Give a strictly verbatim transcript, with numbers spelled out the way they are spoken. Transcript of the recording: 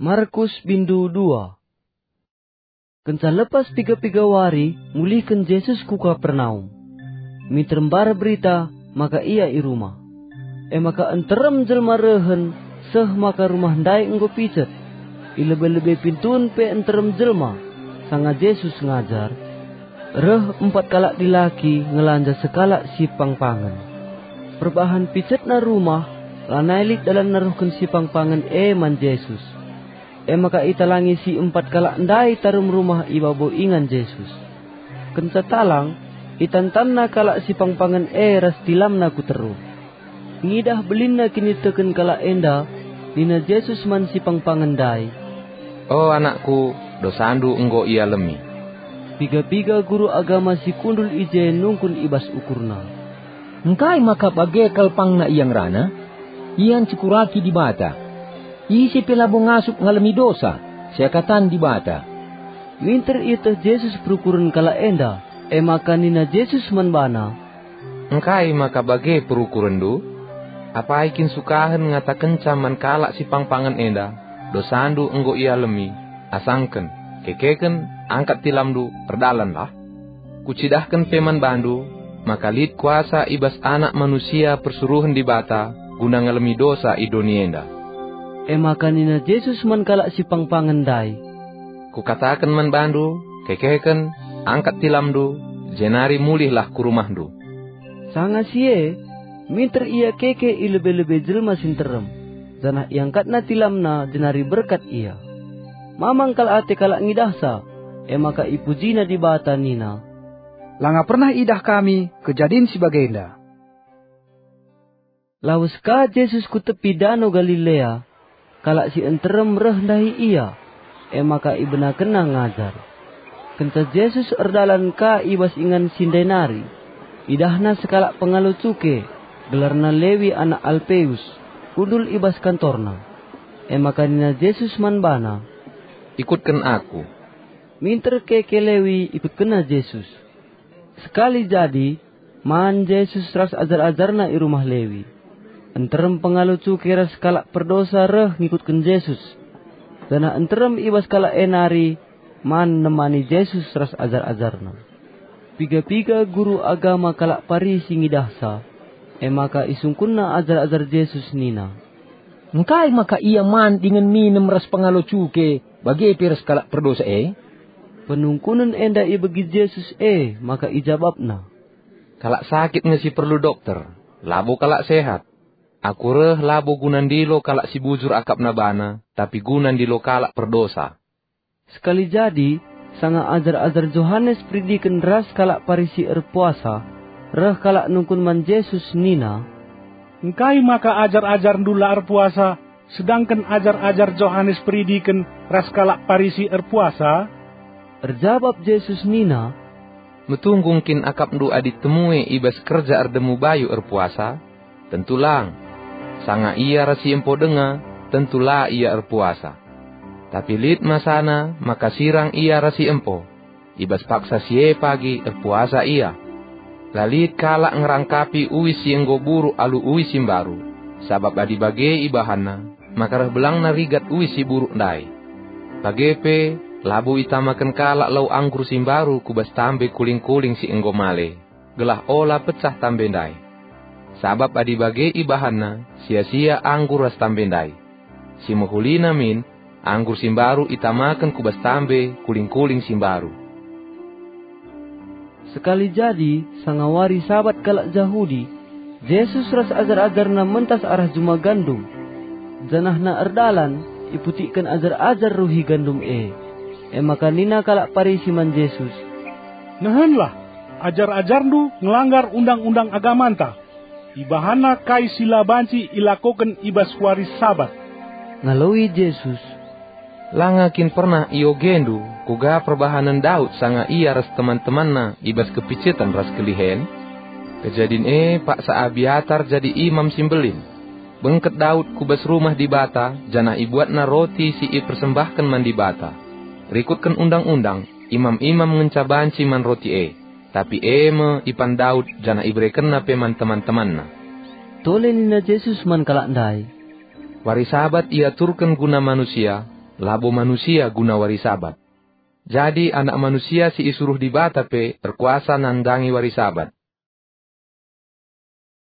Markus bindu dua. Kenca lepas piga-piga wari, mulihken Jesus ku Kapernaum. Minter mbar berita maka Ia i rumah. E maka nterem jelma rehen, seh maka rumah ndai enggo picet. I lebe-lebe pintun pe nterem jelma, sanga Jesus ngajar. Reh empat kalak dilaki ngelanja sekalak sipangpangen. Perbahan picetna rumah, lanai lit dalan neruhken sipangpangen e man Jesus. E maka italangi si empat kalak ndai tarum rumah i babo ingan Jesus. Kenca talang, itantanna kalak sipangpangen e ras tilamna ku teruh. Ngidah belinna kiniteken kalak enda, nina Jesus man sipangpangen ndai, "O anakku, dosandu enggo ialemi." Piga-piga guru agama si kundul i je nungkun i bas ukurna, "Engkai maka bage kal pangna ia ngerana? Ia ncekuraki Dibata. Ise pe labo ngasup ngalemi dosa, seakatan Dibata." Minter ieteh Jesus perukuren kalak enda, e maka nina Jesus man bana, "Engkai maka bage perukurenndu? Apai kin sukahen ngatakenca man kalak sipangpangen enda, 'Dosandu enggo ialemi'? Asangken, kekeken, angkat tilamndu, erdalanlah'? Kucidahken pe man bandu, maka lit kuasa i bas Anak Manusia persuruhen Dibata guna ngalemi dosa i doni enda." E maka nina Jesus man kalak sipangpangen ndai, "Kukataken man bandu, kekeken, angkat tilamndu, jenari mulihlah ku rumahndu." Sanga si e, minter ia keke i lebe-lebe jelma si nterem, janah iangkatna tilamna jenari berkat ia. Mamang kal ate kalak ngidahsa, e maka ipujina Dibata nina, "Langa pernah idah kami kejadin si bagenda." Lawes ka Jesus ku tepi Dano Galilea, kalak si nterem reh ndahi Ia, e maka ibenakenNa ngajar. Kenca Jesus erdalan ka i bas ingan si ndai nari, idahNa sekalak pengalo cuke, gelarna Lewi anak Alpeus, kundul i bas kantorNa. E maka nina Jesus man bana, "Ikutken Aku." Minter keke Lewi ikutkenna Jesus. Sekali jadi, man Jesus ras ajar-ajarNa i rumah Lewi. Nterem pengalo cuke ras kalak perdosa reh ngikutken Jesus, janah nterem i bas kalak e nari man nemani Jesus ras ajar-ajarNa. Piga-piga guru agama kalak Parisi ngidahsa, e maka isungkunna ajar-ajar Jesus nina, "Engkai maka ia man dingen minem ras pengalo cuke, bage pe ras kalak perdosa e?" Penungkunen enda ibegi Jesus e, maka ijabapNa, "Kalak sakit nge si perlu dokter, labo kalak sehat. Aku reh labo guna ndilo kalak si bujur akapna bana, tapi guna ndilo kalak perdosa." Sekali jadi, sanga ajar-ajar Johanes Peridiken ras kalak Parisi erpuasa, reh kalak nungkun man Jesus nina, "Engkai maka ajar-ajarNdu la erpuasa, sedangken ajar-ajar Johanes Peridiken ras kalak Parisi erpuasa?" Erjabap Jesus nina, "Metunggung kin akapndu adi temue i bas kerja erdemu bayu erpuasa? Tentu lang! Sanga ia ras si empo denga, tentu la ia erpuasa. Tapi lit masana maka sirang ia ras si empo. I bas paksa si e pagi erpuasa ia. La lit kalak ngerangkapi uis si enggo buruk alu uis si mbaru, sabap adi bage ibahanna, maka reh belangna rigat uis si buruk ndai. Bage pe, labo itamaken kalak lau anggur si mbaru ku bas tambe kuling-kuling si enggo male, gelah ola pecah tambe ndai. Sabap adi bage ibahanna, sia-sia anggur ras tambe ndai. Si mehulina min, anggur si mbaru itamaken ku bas tambe kuling-kuling si mbaru." Sekali jadi, sanga wari Sabat kalak Jahudi, Jesus ras ajar-ajarNa mentas arah juma gandum. Janahna erdalan, iputikken ajar-ajar ruhi gandum e. E maka nina kalak Parisi man Jesus, "Nehenlah, ajar-ajarNdu ngelanggar undang-undang agamanta. Ibahanna kai si la banci ilakoken i bas wari Sabat." Ngaloi Jesus, "Langa kin pernah iogendu kuga perbahanen Daud sanga ia ras teman-temanna i bas kepiceten ras kelihen? Kejadin e paksa Abiatar jadi imam si mbelin. Bengket Daud ku bas rumah Dibata janah ibuatna roti si ipersembahken man Dibata. Rikutken undang-undang, imam-imam ngenca banci man roti e. Tapi e me ipan Daud janah iberekenna pe man teman-temanna." Tole nina Jesus man kalak ndai, "Wari Sabat iaturken guna manusia, labo manusia guna wari Sabat. Jadi Anak Manusia si isuruh Dibata pe erkuasa nandangi wari Sabat.